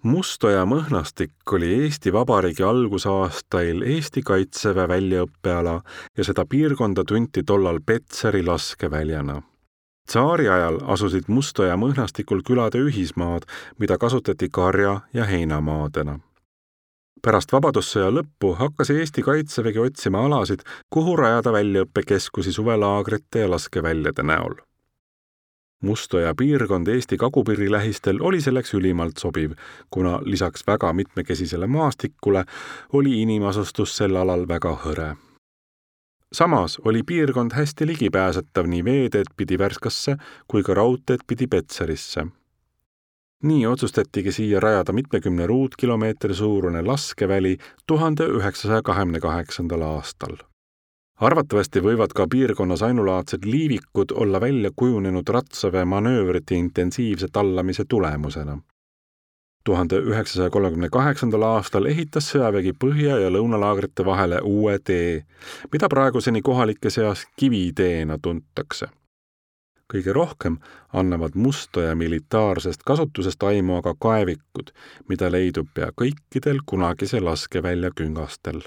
Mustoja mõhnastik oli Eesti Vabariigi algusaastail Eesti Kaitseväe väljaõppeala ja seda piirkonda tunti tollal Petseri laskeväljana. Tsaari ajal asusid Mustoja mõhnastikul külade ühismaad, mida kasutati karja- ja heinamaadena. Pärast vabadussõja lõppu hakkas Eesti Kaitsevägi otsima alasid, kuhu rajada väljaõppekeskusi suvelaagrite ja laskeväljade näol. Mustoja piirkond Eesti kagupiiri lähistel oli selleks ülimalt sobiv, kuna lisaks väga mitmekesisele maastikule oli inimasustus sel alal väga hõre. Samas oli piirkond hästi ligipääsetav nii veeteed pidi Värskasse kui ka raudteed pidi Petserisse. Nii otsustatigi siia rajada mitmekümne ruutkilomeetri suurune laskeväli 1928. aastal. Arvatavasti võivad ka piirkonnas ainulaadsed liivikud olla välja kujunenud ratsaväe manöövrite intensiivse tallamise tulemusena. 1938. aastal ehitas sõjavägi põhja- ja lõunalaagrite vahele uue tee, mida praeguseni kohalike seas kiviteena tuntakse. Kõige rohkem annavad Mustoja militaarsest kasutusest aimu aga kaevikud, mida leidub pea kõikidel kunagise laskevälja küngastel.